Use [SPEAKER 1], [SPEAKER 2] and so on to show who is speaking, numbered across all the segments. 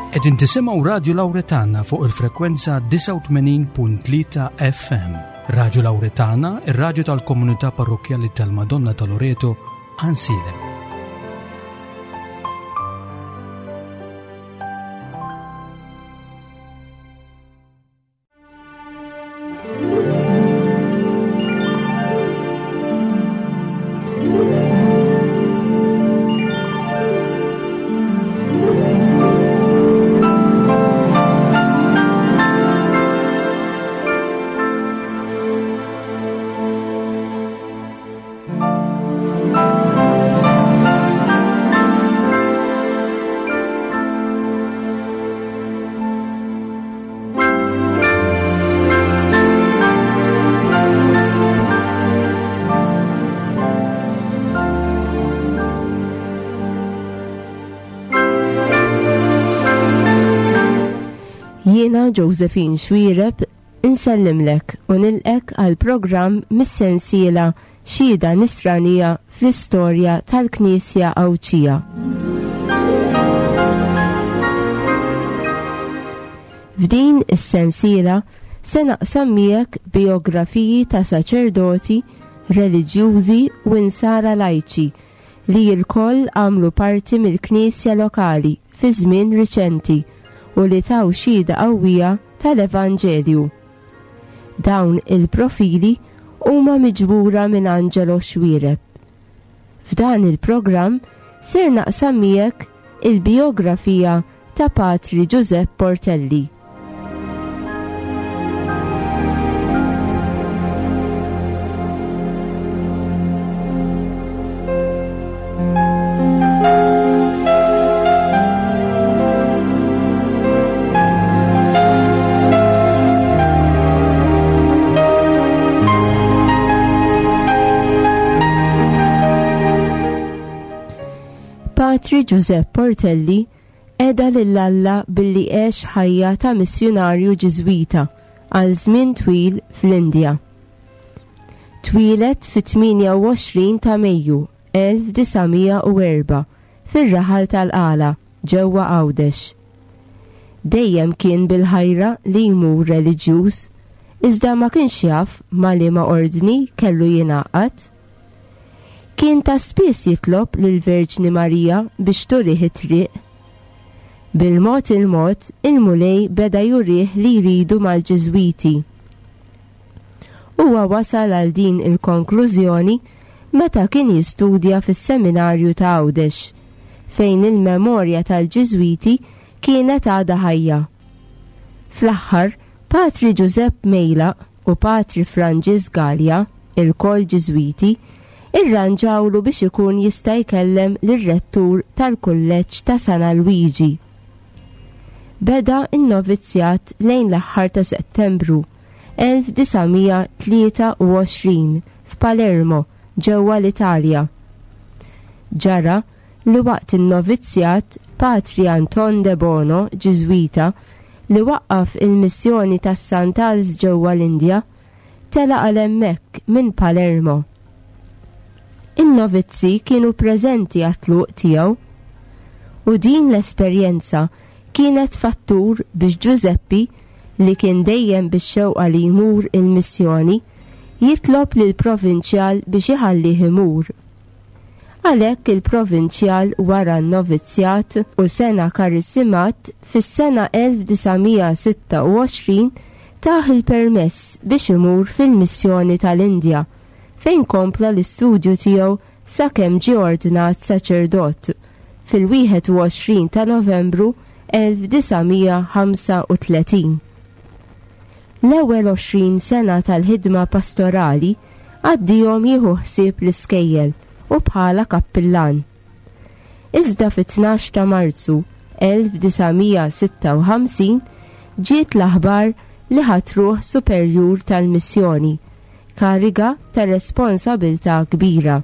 [SPEAKER 1] Qegħdin tisimgħu Radju Lawretana fuq il-frekwenza 89.3 FM. Radju Lawretana, ir-radju tal-komunità parrokkjali tal-Madonna ta' Loreto, Ansilem.
[SPEAKER 2] Jiena Josephine Xuereb insellimlek u nilqek għal programm mis-sensiela Xhieda Nisranija fl-Istorja tal-Knisja Għawdxija. F'din is-sensiela se naqsam miegħek bijografiji ta' saċerdoti, reliġjużi u insara lajċi li lkoll għamlu parti mill-Knisja lokali fi żmien riċenti u li taw xhieda qawwija tal-Evanġelju. Dawn il-profili huma miġbura minn Angelo Xuereb. F'dan il-programm ser naqsam miegħek il-bijografija ta' Patri Ġużepp Portelli. Patri Ġużepp Portelli qeda lil Alla billi għex ħajja ta' missjunarju Ġiżwita għal żmien twil fl-Indja. Twieled fit-28 ta' Mejju 1904 fir-raħal tal-Qala ġewwa Għawdex. Dejjem kien bil-ħajra li jmur reliġjuż, iżda ma kienx jaf ma' liema ordni kellu jingħaqad. Kien ta' spiss jitlob lill-Verġni Marija biex turih it-triq. Bil-mod il-mod, il-Mulej beda jurih li jridu mal-Ġiżwiti. Huwa wasal għal din il-konklużjoni meta kien jistudja fis-Seminarju ta' Għawdex, fejn il-memorja tal-Ġiżwiti kienet għadha ħajja. Fl-aħħar, Patri Ġużepp Mejlaq u Patri Franġisk Galea, ilkoll Ġiżwiti, irranġawlu biex ikun jista' jkellem lir-rettur tal-Kulleġġ ta' San Alwiġi. Beda n-novizzjat lejn l-aħħar ta' Settembru 1923 f'Palermo, ġewwa l-Italja. Ġara li waqt in-novizzjat Patri Anton Debono, Ġiżwita, li waqqaf il-missjoni tas-Santals ġewwa l-Indja, telaq għal hemmhekk minn Palermo. In-novizzi kienu preżenti għat-tluq tiegħu u din l-esperjenza kienet fattur biex Ġużeppi, li kien dejjem bix-xewqa li jmur il-missjoni, jitlob lill-provinċjal biex iħallih imur. Għalhekk il-provinċjal wara n-novizzjat u sena karisimat fis-sena 1926 tah il-permess biex imur fil-missjoni tal-Indja fejn kompla l-istudju tiegħu sakemm ġie ordnat saċerdot fil-21 ta' Novembru 1935. L-ewwel 20 sena tal-ħidma pastorali għaddihom jieħu ħsieb l-iskejjel u bħala kappillan. Iżda fit-12 ta' Marzu 1956 ġiet l-aħbar li ħatruh superjur tal-missjoni, kariga ta' responsabiltà kbira.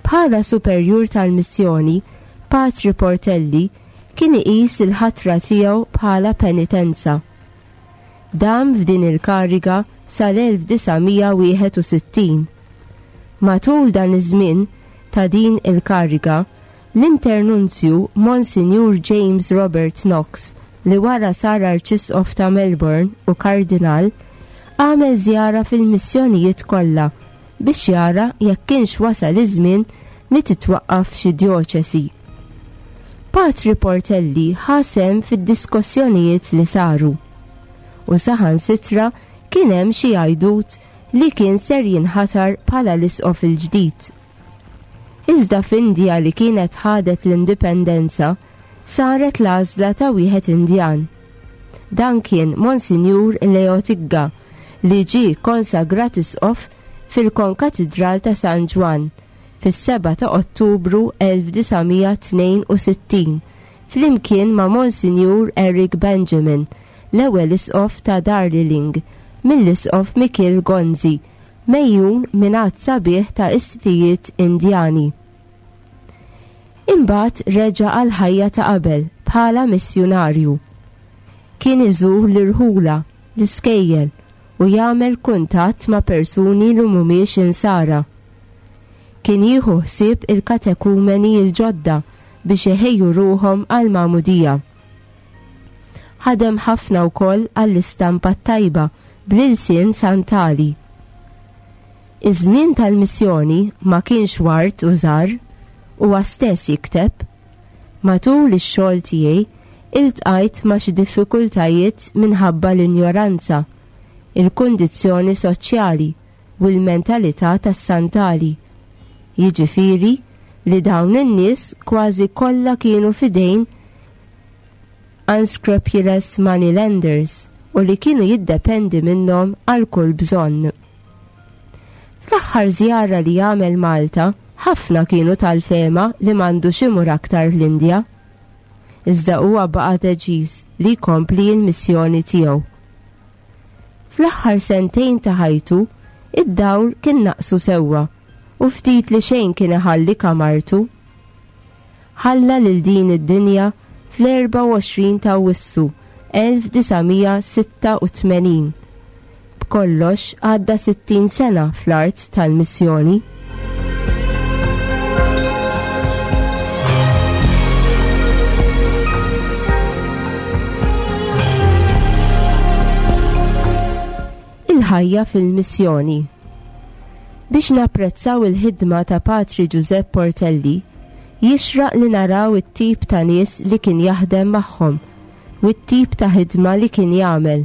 [SPEAKER 2] Bħala superjur tal-missjoni, Patri Portelli kien iqis il-ħatra tiegħu bħala penitenza. Dam f'din il-kariga sal-1961. Matul dan iż-żmien ta' din il-kariga, L-Internunzju Monsinjur James Robert Knox, li wara sar Arċisqof ta' Melbourne u Kardinal, għamel żjara fil-missjonijiet kollha biex jara jekk kienx wasal iż-żmien li titwaqqaf xi djoċesi. Patri Portelli ħa sehem fid-diskossjonijiet li saru. U saħansitra kien hemm xi għajdut li kien ser jinħatar bħala l-isqof il-ġdid. Iżda f'Indja li kienet ħadet l-indipendenza, saret l-għażla ta' wieħed Indjan. Dan kien Monsinjur Leo Tigga li ġie konsagrat isqof fil-Konkatidral ta' San Ġwann fis-7 ta' Ottubru 1962 flimkien ma' Monsinjur Eric Benjamin, l-ewwel isqof ta' Darliling, mill-Isqof Mikiel Gonzi megħjun minn għadd sabiħ ta' isqfijiet Indjani. Imbagħad reġa' għall-ħajja ta' qabel bħala missjunarju. Kien iżur l-irħula, l-iskejjel u jagħmel kuntatt ma' persuni li mhumiex Insara. Kien jieħu ħsieb il-katekumeni l-ġodda biex iħejju ruħhom għall-magħmudija. Ħadem ħafna wkoll għall-istampa t-tajba bl-ilsien Santali. Iż-żmien tal-missjoni ma kienx ward u żgħar, huwa stess jikteb, Matul ix-xogħol tiegħi iltqajt ma' xi diffikultajiet minħabba l-injoranza, il-kundizzjoni soċjali u l-mentalità tas-Santali. Jiġifieri li dawn in-nies kważi kollha kienu f'idejn unscrupulous money lenders u li kienu jiddependi minnhom għal kull bżonn. Fl-aħħar żjara li għamel Malta, ħafna kienu tal-fehma li m'għandux imur aktar l-Indja. Iżda huwa baqa' deċiż li jkompli l-missjoni tiegħu. Fl-aħħar sentejn ta' ħajtu, id-dawl kien naqsu sewwa u ftit li xejn kien iħalli kamartu. Ħalla lil din id-dinja fl-24 ta' Awwissu 1986. B'kollox għadda 60 sena fl-art tal-missjoni. Il-ħajja fil-missjoni. Biex napprezzaw il-ħidma ta' Patri Ġużepp Portelli, jixraq li naraw it-tip ta' nies li kien jaħdem magħhom u t-tip ta' ħidma li kien jagħmel.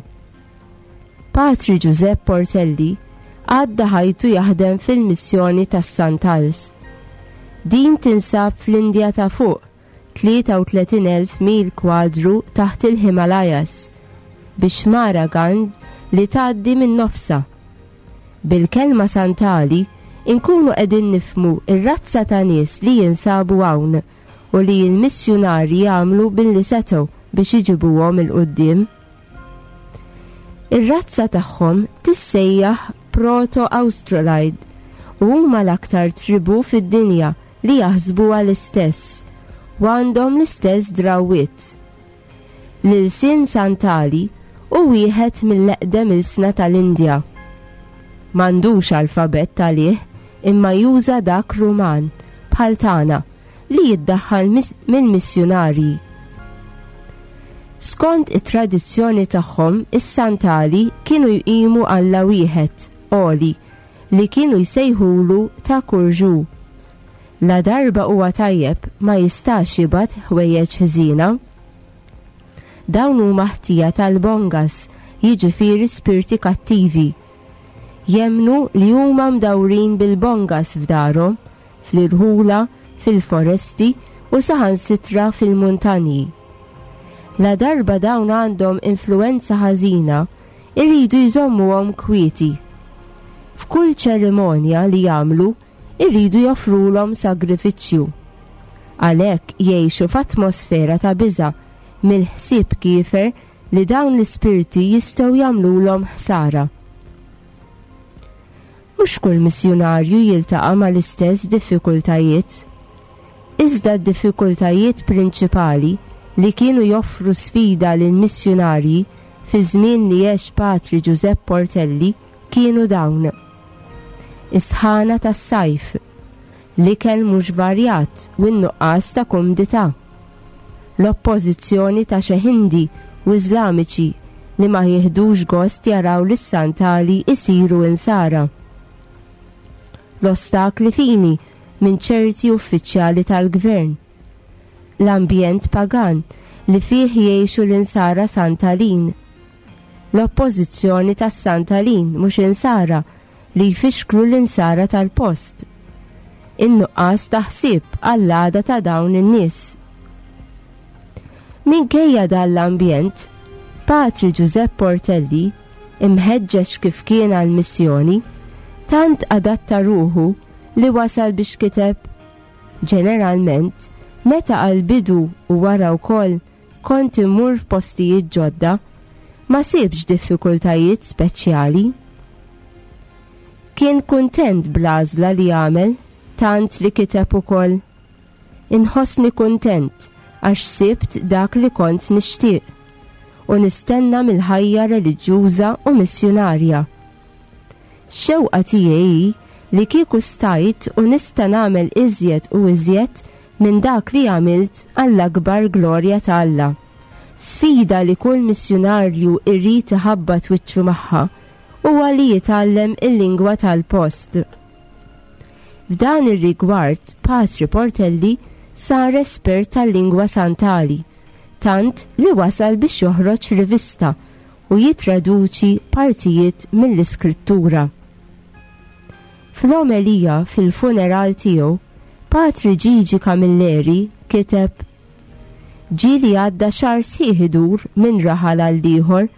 [SPEAKER 2] Patri Ġużepp Portelli għadda ħajtu jaħdem fil-missjoni tas-Santals. Din tinsab fl-Indja ta' fuq, 33,000 mil kwadru taħt il-Himalayas, bix-xmara Ganj li tgħaddi minn nofsha. Bil-kelma Santali inkunu qegħdin nifhmu r-razza ta' nies li jinsabu hawn u li l-missjunarji għamlu billi setgħu biex iġibuhom 'il quddiem. Ir-razza tagħhom tissejjaħ Proto-Australoid u huma l-aktar tribù fid-dinja li jaħsbuha l-istess u għandhom l-istess drawwiet. L-ilsien Santali hu wieħed mill-eqdem ilsna tal-Indja. M'għandux alfabett għalih imma juża dak Ruman, bħal tagħna, li jiddaħħal mill-missjunarji. Skont it-tradizzjoni tagħhom, is-Santali kienu jqimu Alla wieħed, għoli, li kienu jsejħulu ta' Kurġu. Ladarba huwa tajjeb ma jistax jibgħat ħwejjeġ ħżiena. Dawn huma ħtija tal-bongas, jiġifieri spirti kattivi. Jemmnu li huma mdawrin bil-bongas f'darhom, fl-irħula, fil-foresti u saħansitra fil-muntanji. Ladarba dawn għandhom influwenza ħażina, iridu jżommuhom kwieti. F'kull ċerimonja li jagħmlu, iridu joffrulhom sagrifiċċju. Għalhekk jgħixu f'atmosfera ta' biża' mill-ħsieb kiefer li dawn l-ispirti jistgħu jagħmlulhom ħsara. Mhux kull missjunarju jiltaqa' mal-istess diffikultajiet. Iżda d-diffikultajiet prinċipali li kienu joffru sfida lill-missjunarji fiż-żmien li għex Patri Ġużepp Portelli kienu dawn, is-sħana tas-sajf, L-ikel mhux varjat u n-nuqqas ta' kumdità. L-oppożizzjoni ta' xi Ħindi u Iżlamiċi li ma jieħdux gost jaraw lis-Santali jsiru Insara. L-ostakli fini minn ċerti uffiċjali tal-gvern. L-ambjent pagan li fih jgħixu l-Insara Santalin. L-oppożizzjoni tas-Santalin mhux Insara li jfixklu l-Insara tal-post. In-nuqqas ta' ħsieb għall-għada ta' dawn in-nies. Minkejja dan l-ambjent, Patri Ġużepp Portelli, imħeġġeġ kif kien għall-missjoni, tant adatta ruħu li wasal biex kiteb, Ġeneralment, meta għall-bidu u wara wkoll kont immur f'postijiet ġodda, ma sibx diffikultajiet speċjali. Kien kuntent bl-għażla li għamel tant li kiteb ukoll, Inħossni kuntent għax sibt dak li kont nixtieq u nistenna mill-ħajja reliġjuża u missjunarja. X-xewqa tiegħi hi li kieku stajt u nista' nagħmel iżjed u iżjed minn dak li għamilt għall-akbar glorja ta' Alla. Sfida li kull missjunarju jrid iħabbat wiċċu magħha huwa li jitgħallem il-lingwa tal-post. F'dan ir-rigward, Patri Portelli sar espert tal-lingwa Santali, tant li wasal biex joħroġ rivista u jittraduċi partijiet mill-Iskrittura. Fl-omelija fil-funeral tiegħu, Patri Gigi Camilleri kiteb, Ġieli għadda xahar sħiħ idur minn raħal għal ieħor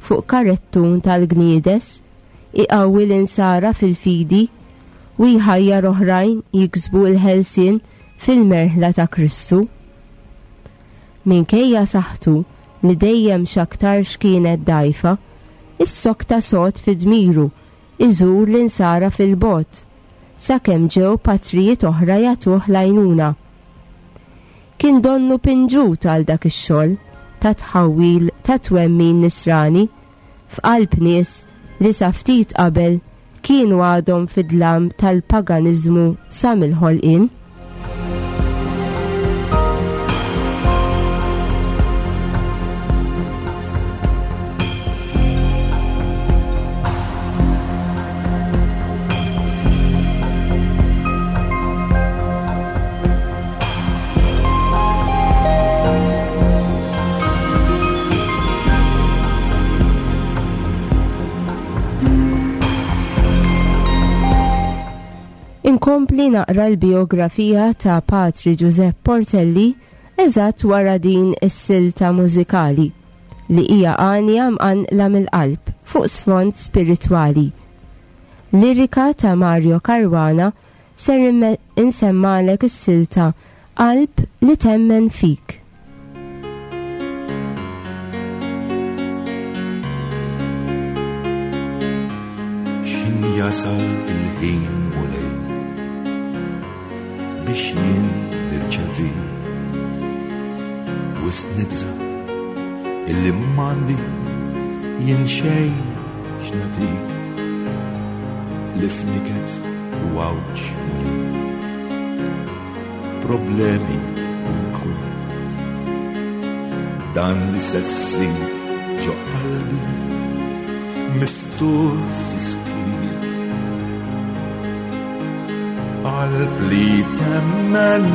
[SPEAKER 2] fuq karettun tal-gniedes, iqawwi l-insara fil-fidi u jħajjar oħrajn jiksbu l-ħelsien fil-merħla ta' Kristu. Minkejja saħħtu li dejjem x'aktarx kienet dgħajfa, issokta sod fi dmiru iżur l-Insara fil-bogħod, sakemm ġew patrijiet oħra jagħtuh l-għajnuna. Kien donnu pinġut għal dak ix-xogħol ta' tħawwil ta' twemmin Nisrani f'qalb nies li sa ftit qabel kienu għadhom fid-dlam tal-paganiżmu sa mill-ħolqien. Inkompli naqra l-bijografija ta' Patri Ġużepp Portelli eżatt wara din is-silta mużikali li hija għanja mqanqla mill-qalb fuq sfond spiritwali. Lirika ta' Mario Caruana ser insemmalek is-silta Qalb li temmen fik.
[SPEAKER 3] X'ħin jasal il-ħin Mulej biex jien nirċevik Wisq nibża' illi m'għandi jien xejn x'nagħtik li f'niket u għawġ Mulej problemi u nkwiet. Dan li se ssib ġo qalbi mistur fiskiet. Qalb li temmen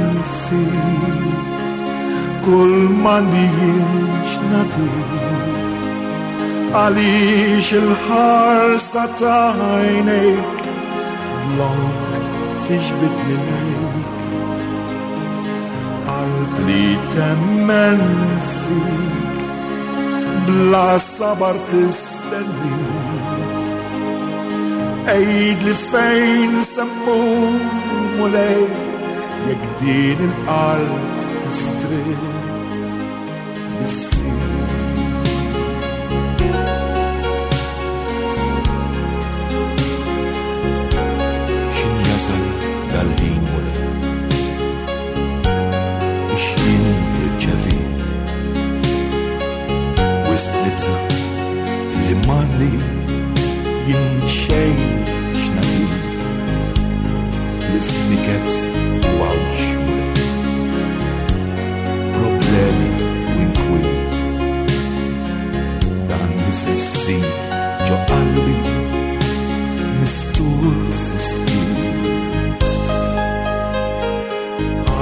[SPEAKER 3] fik, kull m'għandix nagħtik. Għaliex il-ħarsa ta' għajnejk dlonk tiġbidni lejk. Qalb li temmen fik, bla sabar tistennik. Għid li fejn semmur mulej, jekk din il-qalb tistrieħ biss fik. X'in jasal dal-ħin mulej biex jien nirċevik Wisq nibża' li m'għandi jien xejn x'nagħtik li f'niket.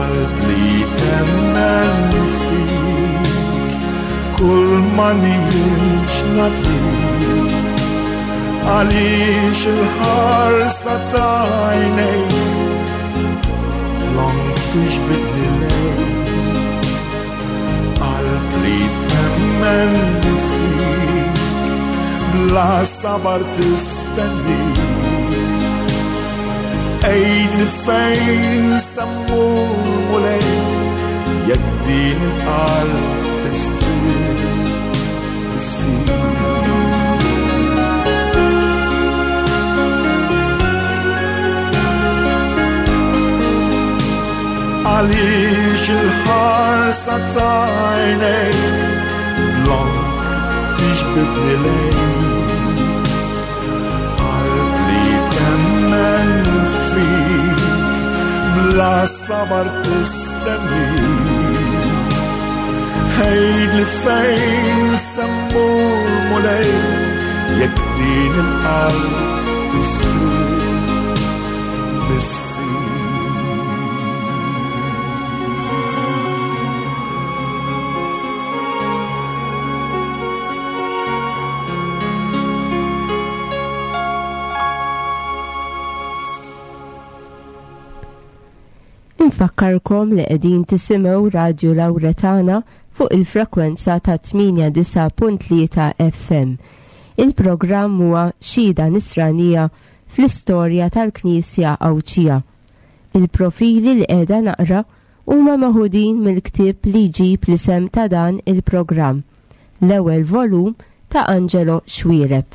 [SPEAKER 3] Qalb li temmen fik, kull ma nix nagħtik. Għaliex il-ħarsa ta' għajnejk Long tiġbidni lejk. Qalb li temmen fik, bla sabar tistennik. Għid li fejn semmur Mulej, jekk din il-qalb tistrieħ tisfik. Għaliex il-ħarsa ta' għajnejk dlonk tiġbidni lejk. Qalb li temmen fik, bla sabar tistennik. Għid li fejn semmur Mulej, jekk din il-qalb tistrieħ biss fik.
[SPEAKER 2] Infakkarkom li qegħdin tisimgħu Radju Lawretana fuq il-frekwenza ta' 89.3 FM. Il-programm huwa Xhieda Nisranija fl-istorja tal-Knisja Għawdxija. Il-profili li qiegħda naqra huma meħudin mill-ktieb li jġib l-isem ta' dan il-programm, l-ewwel volum ta' Angelo Xuereb.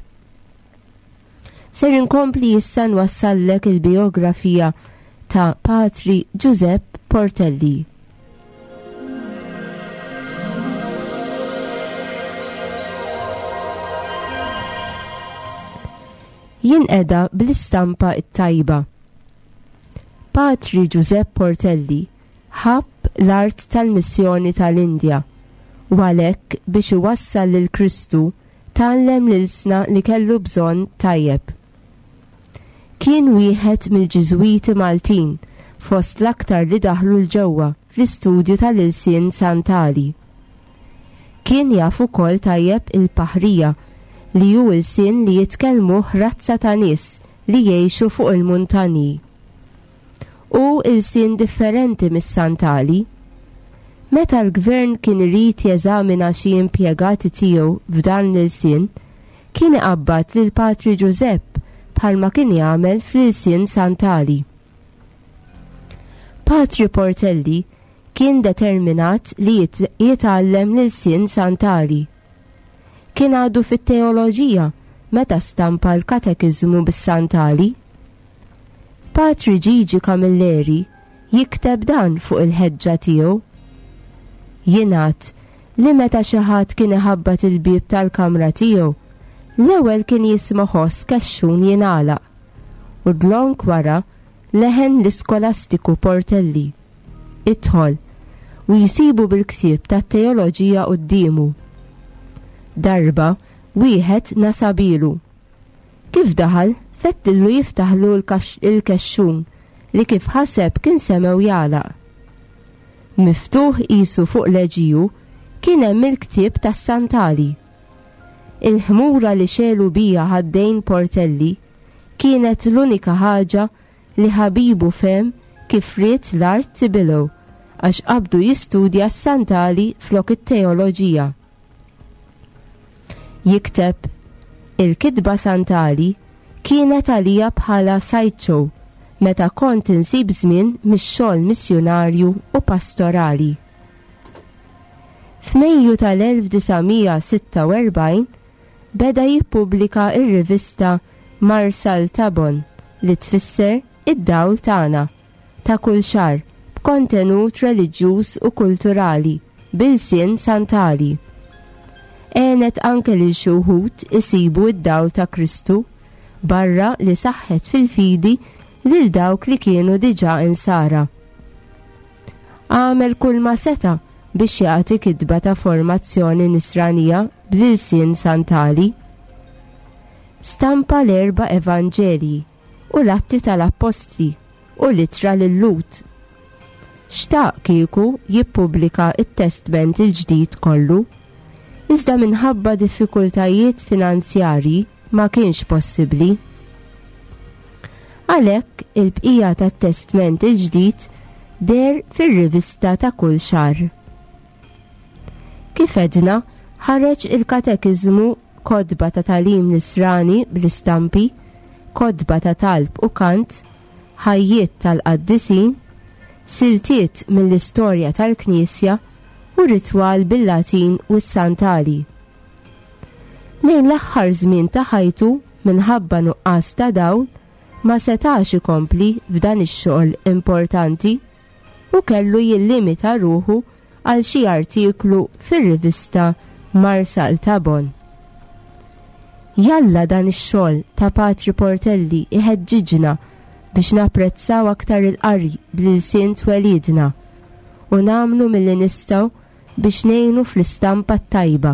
[SPEAKER 2] Ser inkompli issa nwassallek il-biografija ta' Patri Giuseppe Portelli. Jinqeda bl-istampa t-tajba. Patri Giuseppe Portelli ħabb l-art tal-missjoni tal-Indja u għalhekk biex iwassal lil Kristu tgħallem l-ilsna li kellu bżonn tajjeb. Kien wieħed mill-Ġiżwiti Maltin fost l-aktar li daħlu 'l ġewwa fl-istudju tal-ilsien Santali. Kien jaf ukoll tajjeb il-Paħrija li hu ilsien li jitkellmuh razza ta' nies li jgħixu fuq il-muntanji. Hu ilsien differenti mis-Santali. Meta l-gvern kien irid jeżamina xi impjegati tiegħu f'dan l-ilsien, kien iqabbad lil Patri Ġużepp bħalma kien jagħmel fl-ilsien Santali. Patri Portelli kien determinat li jitgħallem l-ilsien Santali. Kien għadu fit-teoloġija meta stampa l-katekiżmu bis-Santali. Patri Gigi Camilleri jikteb dan fuq il-ħeġġa tiegħu. Jingħad li meta xi ħadd kien iħabbat il-bieb tal-kamra tiegħu, l-ewwel kien jisma' ħoss kexxun jingħalaq u dlonk wara leħen l-iskolastiku Portelli. Idħol, u jsibu bil-ktieb tat-teoloġija quddiemu. Darba wieħed nasabilu. Kif daħal, fettillu jiftaħlu l-kexxun li kif ħaseb kien semgħu jagħlaq. Miftuħ qisu fuq leġiju kien hemm il-ktieb tas-Santali. Il-ħmura li xegħlu bija ħaddejn Portelli kienet l-unika ħaġa li ħabibu fehem kif ried l-art tibilgħu għax qabdu jistudja s-Santali flok it-teoloġija. Jikteb, Il-kitba Santali kienet għalija bħala sideshow meta kont insib żmien mix-xogħol missjunarju u pastorali. F'Mejju tal-1946 beda jippubblika r-rivista Marsal Tabon li tfisser Id-Dawl Tagħna ta' kull xahar b'kontenut reliġjuż u kulturali b'ilsien Santali. Għenet anke lil xi wħud isibu d-dawl ta' Kristu barra li saħħet fil-fidi lil dawk li kienu diġà insara. Għamel kulma seta' biex jagħti kitba ta' formazzjoni nisranija bl-ilsien Santali. Stampa l-erba' Evanġelji u l-Atti tal-Appostli u l-Ittra lil-Lhud. Xtaq kieku jippubblika t-Testment il-Ġdid kollu, iżda minħabba diffikultajiet finanzjarji ma kienx possibbli. Għalhekk il-bqija tat-Testment il-Ġdid deher fir-rivista ta' kull xahar. Kif għedna, ħareġ il-Katekiżmu, kotba ta' tagħlim Nisrani bl-istampi, kotba ta' talb u kant, ħajjiet tal-qaddisin, siltiet mill-istorja tal-Knisja u ritwal bil-Latin u s-Santali. Lejn l-aħħar żmien ta' ħajtu minħabba nuqqas ta' dawl ma setax ikompli f'dan ix-xogħol importanti u kellu jillimita ruħu għal xi artiklu fir-rivista Marsaltabon. Jalla dan ix-xogħol ta' Patri Portelli iħeġġiġna biex napprezzaw aktar il-qari bl-ilsien twelidna u nagħmlu milli nistgħu biex ngħinu fl-istampa t-tajba,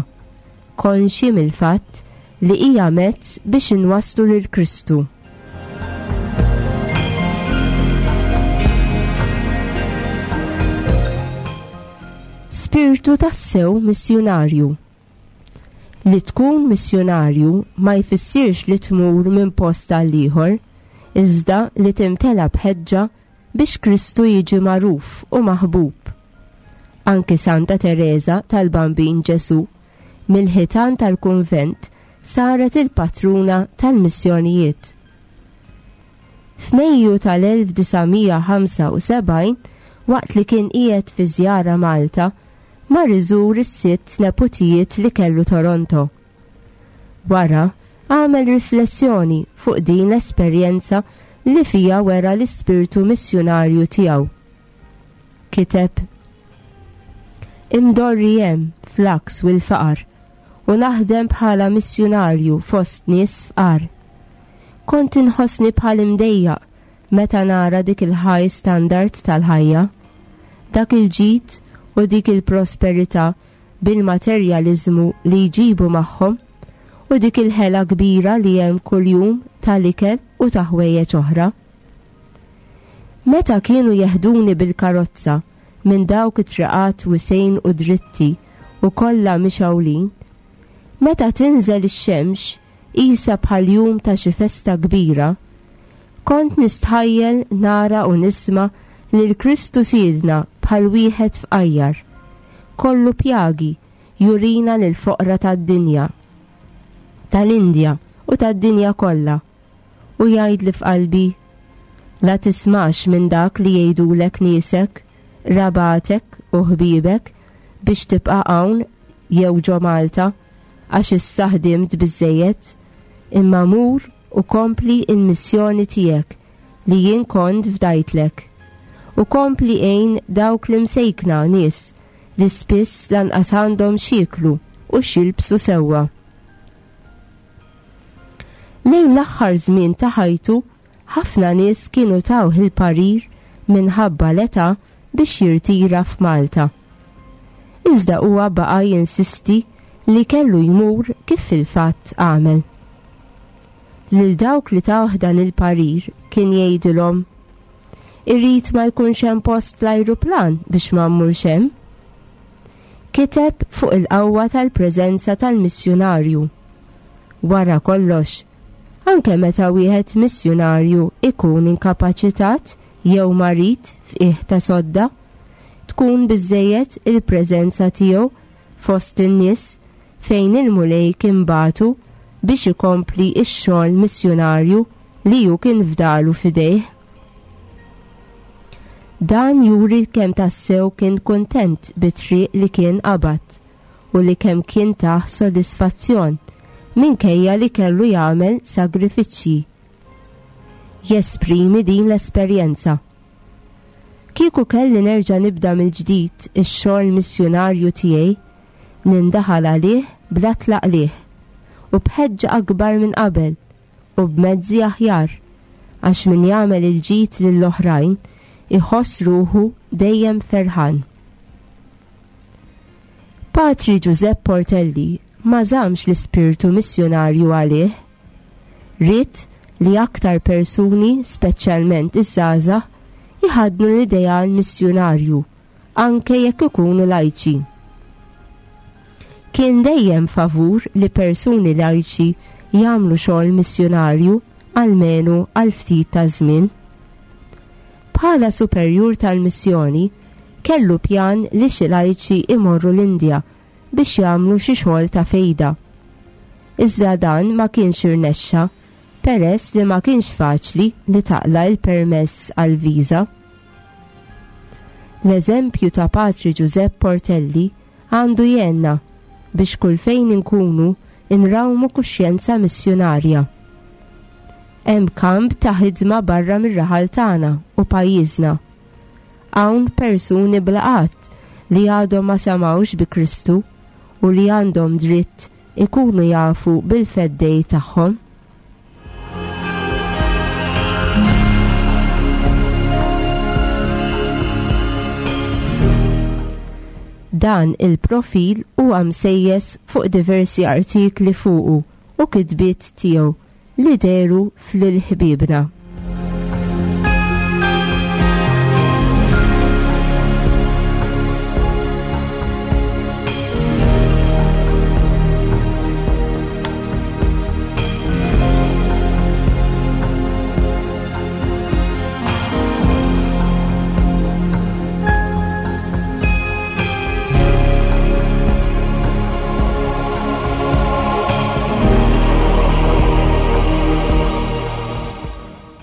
[SPEAKER 2] konxji mill-fatt li hija mezz biex inwasslu lil Kristu. Spirtu tassew missjunarju. Li tkun missjunarju ma jfissirx li tmur minn post għal ieħor, iżda li timtela b'ħeġġa biex Kristu jiġi magħruf u maħbub. Anki Santa Tereża tal-Bambin Ġesù mill-ħitan tal-kunvent saret il-patruna tal-missjonijiet. F'Mejju tal-1975, waqt li kien qiegħed fi żjara Malta, mar iżur is-sitt neputijiet li kellu Toronto. Wara, għamel riflessjoni fuq din l-esperjenza li fiha wera l-ispirtu missjunarju tiegħu. Kiteb, Imdorri hemm fl-għaks u l-faqar u naħdem bħala missjunarju fost nies fqar. Kont inħossni bħal imdejjaq Meta nara dik il-high standard tal-ħajja, dak il-ġid u dik il-prosperità bil-materjaliżmu li jġibu magħhom u dik il-ħela kbira li hemm kuljum tal-ikel u ta' ħwejjeġ oħra. Meta kienu jeħduni bil-karozza minn dawk it-triqat wisgħin u dritti u kollha mixgħulin, meta tinżel ix-xemx qisha bħal jum ta' xi festa kbira, kont nistħajjel nara u nisma' lil Kristu Sidna bħal wieħed fqajjar, kollu pjagi jurina lill-foqra tad-dinja, tal-Indja u tad-dinja kollha, u jgħidli f'qalbi, La tismax minn dak li jgħidulek niesek, qrabatek u ħbiebek biex tibqa' hawn jew ġo Malta, għax issa ħdimt biżżejjed, imma mur u kompli l-missjoni tiegħek li jien kont fdajtlek. U kompli għin dawk l-imsejkna nies li spiss lanqas għandhom x'jieklu u x'jilbsu sewwa. Lejn l-aħħar żmien ta' ħajtu, ħafna nies kienu tawh il-parir minħabba l-età biex jirtira f'Malta. Iżda huwa baqa' jinsisti li kellu jmur kif fil-fatt għamel. Lil dawk li tawh dan il-parir kien jgħidilhom, Irrid ma jkunx hemm post fl-ajruplan biex ma mmurx hemm. Kiteb fuq il-qawwa tal-preżenza tal-missjunarju. Wara kollox, anke meta wieħed missjunarju ikun inkapaċitat jew marid f'qiegħ ta' sodda, tkun biżżejjed il-preżenza tiegħu fost in-nies fejn il-Mulej kien bagħtu biex ikompli x-xogħol missjunarju li hu kien fdalu f'idejh. Dan juri kemm tassew kien kuntent bit-triq li kien qabad u li kemm kien tah sodisfazzjon minkejja li kellu jagħmel sagrifiċċji. Jesprimi din l-esperjenza. Kieku kelli nerġa' nibda mill-ġdid ix-xogħol missjunarju tiegħi, nindaħal għalih bla tlaqliq u b'ħeġġa akbar minn qabel u b'mezzi aħjar, għax min jagħmel il-ġid lill-oħrajn iħoss ruħu dejjem ferħan. Patri Ġużepp Portelli ma żammx l-ispirtu missjunarju għalih. Ried li aktar persuni, speċjalment iż-żgħażagħ, jħaddnu l-ideal missjunarju anke jekk ikunu lajċi. Kien dejjem favur li persuni lajċi jagħmlu xogħol missjunarju almenu għal ftit ta' żmien. Bħala superjur tal-missjoni, kellu pjan li xi lajċi imorru l-Indja biex jagħmlu xi xogħol ta' fejda. Iżda dan ma kienx irnexxa peress li ma kienx faċli li taqla' l-permess għall-viża. L-eżempju ta' Patri Ġużepp Portelli għandu jgħinna biex kull fejn inkunu nrawmu kuxjenza missjunarja. Hemm kamp ta' ħidma barra mir-raħal tagħna u pajjiżna. Hawn persuni bla għadd li għadhom ma semgħux bi Kristu u li għandhom dritt ikunu jafu bil-Feddej tagħhom. Dan il-profil huwa msejjes fuq diversi artikli fuqu u kitbiet tiegħu li dehru f'Lil Ħbiebna.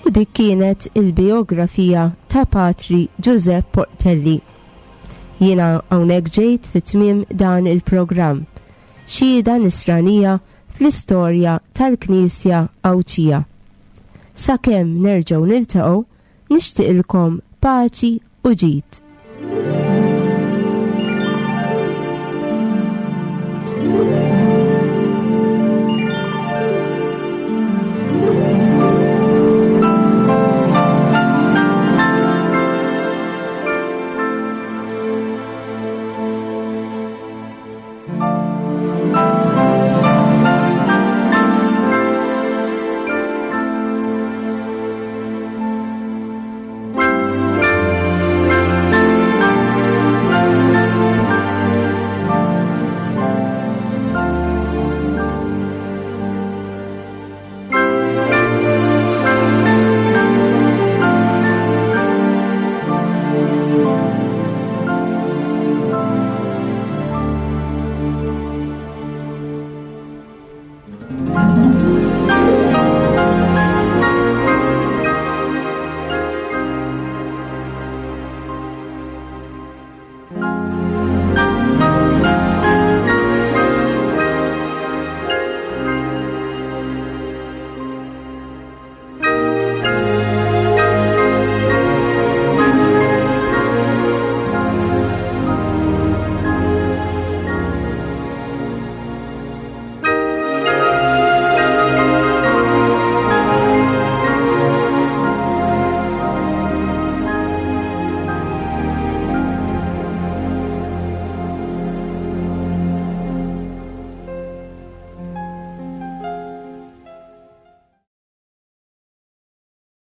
[SPEAKER 2] U dik kienet il-biografija ta' Patri Giuseppe Portelli. Jiena hawnhekk ġejt fi tmiem dan il-programm. Xhieda nisranija fl-istorja tal-Knisja Għawdxija. Sakemm nerġgħu niltaqgħu, nixtieqilkom paċi u ġid.